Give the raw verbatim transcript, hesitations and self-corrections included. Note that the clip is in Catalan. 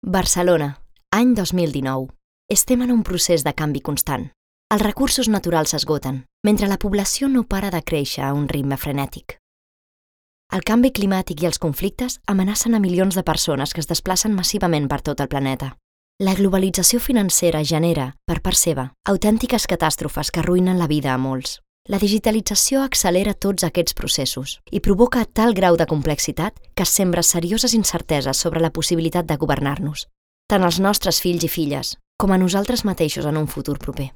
Barcelona, any dos mil dinou. Estem en un procés de canvi constant. Els recursos naturals s'esgoten, mentre la població no para de créixer a un ritme frenètic. El canvi climàtic i els conflictes amenacen a milions de persones que es desplacen massivament per tot el planeta. La globalització financera genera, per part seva, autèntiques catàstrofes que arruïnen la vida a molts. La digitalització accelera tots aquests processos i provoca tal grau de complexitat que es sembra serioses incerteses sobre la possibilitat de governar-nos, tant als nostres fills i filles com a nosaltres mateixos en un futur proper.